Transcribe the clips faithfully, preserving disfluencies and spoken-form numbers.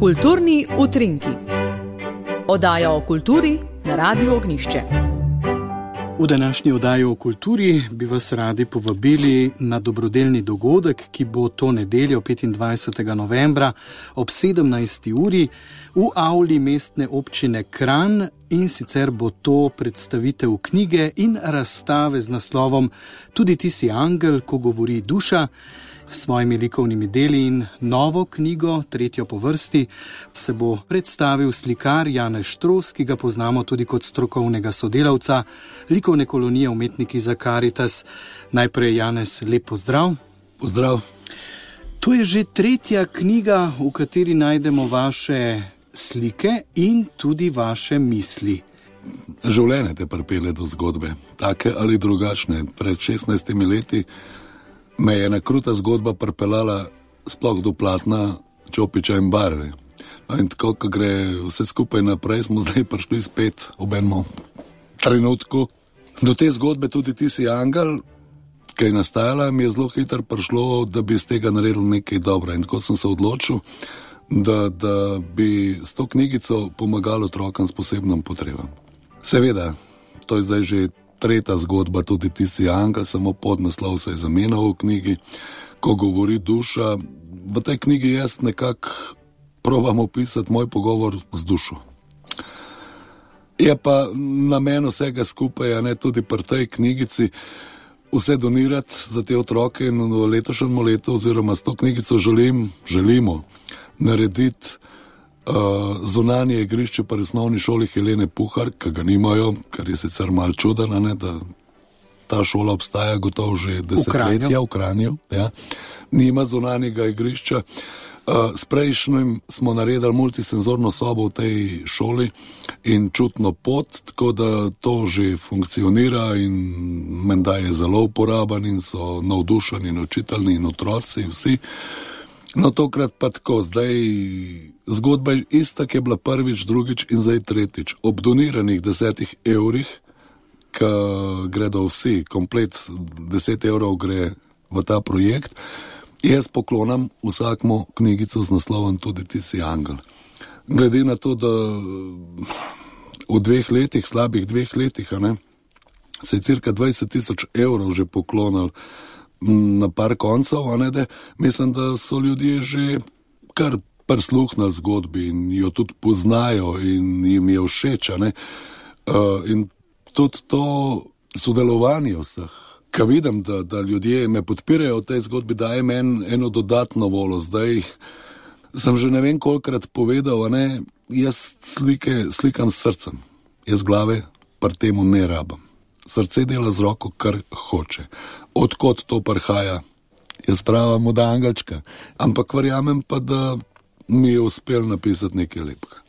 Kulturni utrinki. Oddaja o kulturi na Radiu Ognjišče. V današnji oddaji o kulturi bi vas radi povabili na dobrodelni dogodek, ki bo to nedeljo petindvajsetega novembra ob sedemnajsti uri v avli mestne občine Kranj, in sicer bo to predstavitev knjige in razstave z naslovom Tudi ti si angel, ko govori duša. S svojimi likovnimi deli in novo knjigo, tretjo po vrsti, se bo predstavil slikar Janez Štros, ki ga poznamo tudi kot strokovnega sodelavca likovne kolonije Umetniki za Karitas. Najprej, Janez, lep pozdrav. Pozdrav. To je že tretja knjiga, v kateri najdemo vaše slike in tudi vaše misli. Življenje te pripelje do zgodbe, take ali drugačne. Pred šestnajstimi leti me je ena kruta zgodba pripeljala sploh do platna Čopiča in barve. No, in tako, ko gre vse skupaj naprej, smo zdaj prišli spet ob enem trenutku. Do te zgodbe Tudi ti si angel, ki je nastajala, mi je zelo hitro prišlo, da bi iz tega naredil nekaj dobro. In tako sem se odločil, da, da bi s to knjigico pomagal otrokom s posebnim potrebam. Seveda, to je zdaj že tretja zgodba Tudi ti si angel, samo podnaslov se je zamenjal v knjigi, ko govori duša. V tej knjigi jaz nekako probam opisati moj pogovor z dušo. Je pa namen vsega skupaj, a ne tudi pri tej knjigici, vse donirati za te otroke, in v letošnjem letu oziroma s to knjigico želim, želimo narediti Uh, zunanje igrišče pri osnovni šoli Helene Puhar, ki ga nimajo, kar je sicer malo čudeno, ne, da ta šola obstaja gotovo že desetletja v Kranju. Ja. Nima zunanjega igrišča. Uh, s prejšnjim smo naredili multisenzorno sobo v tej šoli in čutno pot, tako da to že funkcionira in menda je zelo uporaben in so navdušeni in učitelji in otroci, vsi. No, tokrat pa tako, zdaj zgodba je ista, ki je bila prvič, drugič in zdaj tretjič. Ob doniranih desetih evrih, ki gredo vsi, komplet deset evrov gre v ta projekt, jaz poklonam vsakmu knjigico z naslovom Tudi ti si angel. Glede na to, da v dveh letih, slabih dveh letih, a ne, se je cirka dvajset tisoč evrov že poklonil na par koncev, a ne, da mislim, da so ljudje že kar prisluhnili zgodbi in jo tudi poznajo in jim je všeč, a ne. Uh, in tudi to sodelovanje vseh, ko vidim, da, da ljudje me podpirajo v tej zgodbi, daje meni eno dodatno volo. Zdaj sem že ne vem kolikrat povedal, a ne, jaz slike slikam s srcem, jaz glave pri temu ne rabam. Srce dela z roko, kar hoče. Odkot to prihaja? Jaz pravim od angelčka. Ampak verjamem pa, da mi je uspel napisati nekaj lepega.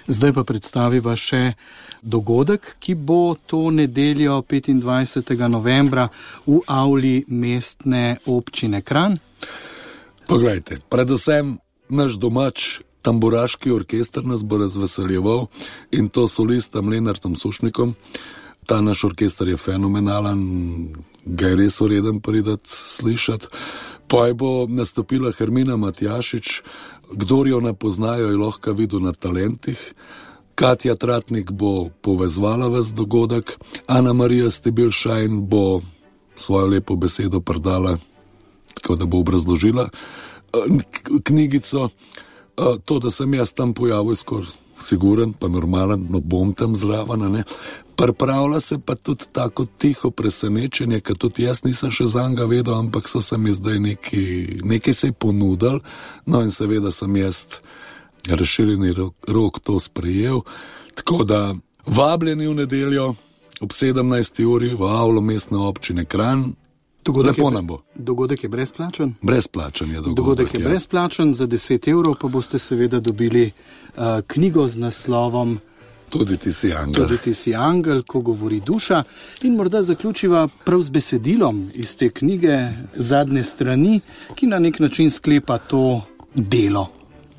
Zdaj pa predstaviva še dogodek, ki bo to nedeljo petindvajsetega novembra v avli mestne občine Kranj. Poglejte, predvsem naš domač tamburaški orkester nas bo razveseljeval, in to solistom Lenartom Sušnikom. Ta naš orkester je fenomenalen, ga je res vreden pridati slišati. Poj bo nastopila Hermina Matjašič, kdor jo ne poznajo, je lahko videl na talentih. Katja Tratnik bo povezvala ves dogodek, Ana Marija Stibilšajn bo svojo lepo besedo predala, tako da bo obrazložila knjigico. To, da sem jaz tam pojavil, skoraj siguren, pa normalen, no bom tam zraven, ne. Pripravlja se pa tudi tako tiho presenečenje, ker tudi jaz nisem še zanga vedel, ampak so se mi zdaj nekaj, nekaj se je ponudil, no in seveda sem jaz razširjeni rok, rok to sprejel. Tako da vabljeni v nedeljo ob sedemnajsti uri v avlo mestne občine Kranj. Dogodek Lepo je, nam bo. Dogodek je brezplačen? Brezplačen je dogodek. Dogodek je ja. brezplačen, za deset evrov pa boste seveda dobili uh, knjigo z naslovom Tudi ti si angel. Tudi ti si angel, ko govori duša. In morda zaključiva prav z besedilom iz te knjige, zadnje strani, ki na nek način sklepa to delo.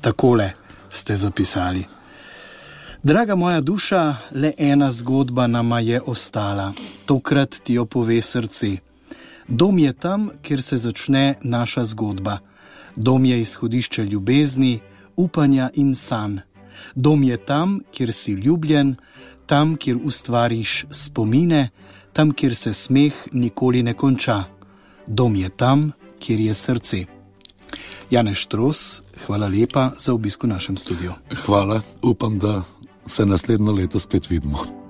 Takole ste zapisali. Draga moja duša, le ena zgodba nama je ostala. Tokrat ti jo pove srce. Dom je tam, kjer se začne naša zgodba. Dom je izhodišče ljubezni, upanja in sanj. Dom je tam, kjer si ljubljen, tam, kjer ustvariš spomine, tam, kjer se smeh nikoli ne konča. Dom je tam, kjer je srce. Janez Štros, hvala lepa za obisk v našem studiu. Hvala, upam, da se naslednjo leto spet vidimo.